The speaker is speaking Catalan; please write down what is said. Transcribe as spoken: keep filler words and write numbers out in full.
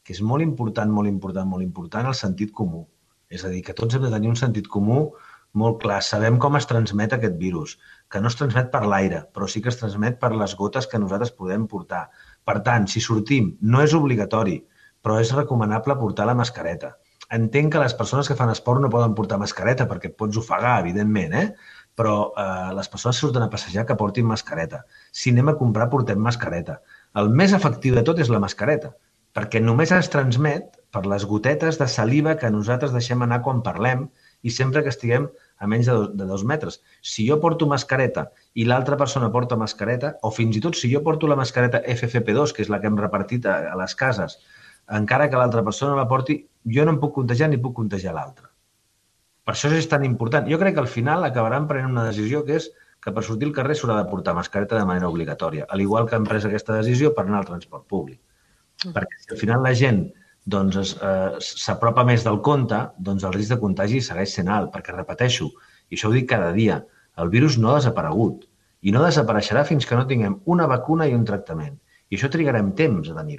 que és molt important, molt important, molt important el sentit comú. És a dir, que tots hem de tenir un sentit comú molt clar. Sabem com es transmet aquest virus, que no es transmet per l'aire, però sí que es transmet per les gotes que nosaltres podem portar. Per tant, si sortim, no és obligatori, però és recomanable portar la mascareta. Entenc que les persones que fan esport no poden portar mascareta perquè et pots ofegar, evidentment, eh? Però eh, les persones que surten a passejar que portin mascareta. Si anem a comprar, portem mascareta. El més efectiu de tot és la mascareta, perquè només es transmet per les gotetes de saliva que nosaltres deixem anar quan parlem i sempre que estiguem a menys de dos, de dos metres. Si jo porto mascareta i l'altra persona porta mascareta, o fins i tot si jo porto la mascareta F F P dos, que és la que hem repartit a, a les cases, encara que l'altra persona la porti, jo no em puc contagiar ni puc contagiar l'altre. Per això és tan important. Jo crec que al final acabaran prenent una decisió que és que per sortir al carrer s'haurà de portar mascareta de manera obligatòria, al igual que han pres aquesta decisió per anar al transport públic. Mm. Perquè si al final la gent doncs, s'apropa eh, més del compte, doncs el risc de contagi segueix sent alt, perquè repeteixo, i això ho dic cada dia, el virus no ha desaparegut i no desapareixerà fins que no tinguem una vacuna i un tractament. I això trigarem temps a tenir-ho.